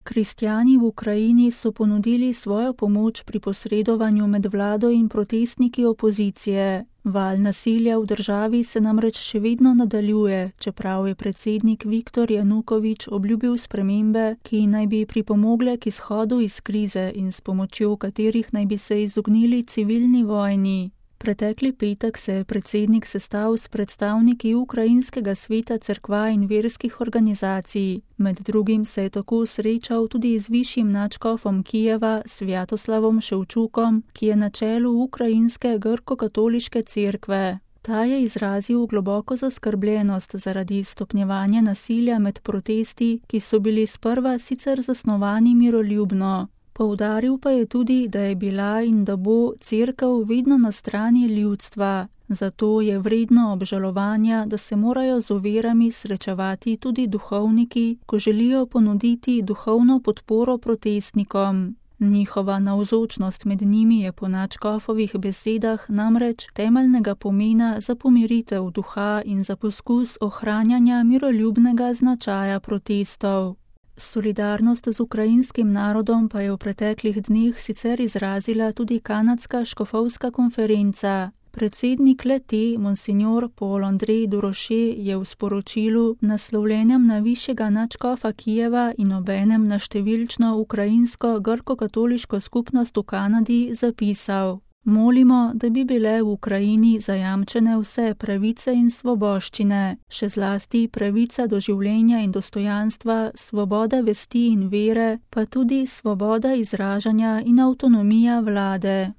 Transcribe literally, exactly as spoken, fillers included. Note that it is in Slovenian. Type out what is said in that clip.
Kristjani v Ukrajini so ponudili svojo pomoč pri posredovanju med vlado in protestniki opozicije. Val nasilja v državi se namreč še vedno nadaljuje, čeprav je predsednik Viktor Janukovič obljubil spremembe, ki naj bi pripomogle k izhodu iz krize in s pomočjo katerih naj bi se izognili civilni vojni. Pretekli petek se je predsednik sestal s predstavniki Ukrajinskega sveta cerkva in verskih organizacij. Med drugim se je tako srečal tudi z višjim nadškofom Kijeva, Svjatoslavom Ševčukom, ki je na čelu Ukrajinske grko-katoliške cerkve. Ta je izrazil globoko zaskrbljenost zaradi stopnjevanja nasilja med protesti, ki so bili sprva sicer zasnovani miroljubno. Poudaril pa je tudi, da je bila in da bo cerkev vedno na strani ljudstva. Zato je vredno obžalovanja, da se morajo z ovirami srečevati tudi duhovniki, ko želijo ponuditi duhovno podporo protestnikom. Njihova navzočnost med njimi je po nadškofovih besedah namreč temeljnega pomena za pomiritev duha in za poskus ohranjanja miroljubnega značaja protestov. Solidarnost z ukrajinskim narodom pa je v preteklih dneh sicer izrazila tudi kanadska škofovska konferenca. Predsednik le-te, monsinjor Paul Andrej Duroše, je v sporočilu, naslovljenem na višjega nadškofa Kijeva in obenem na številčno ukrajinsko grko-katoliško skupnost v Kanadi, zapisal: Molimo, da bi bile v Ukrajini zajamčene vse pravice in svoboščine, še zlasti pravica do življenja in dostojanstva, svoboda vesti in vere, pa tudi svoboda izražanja in avtonomija vlade.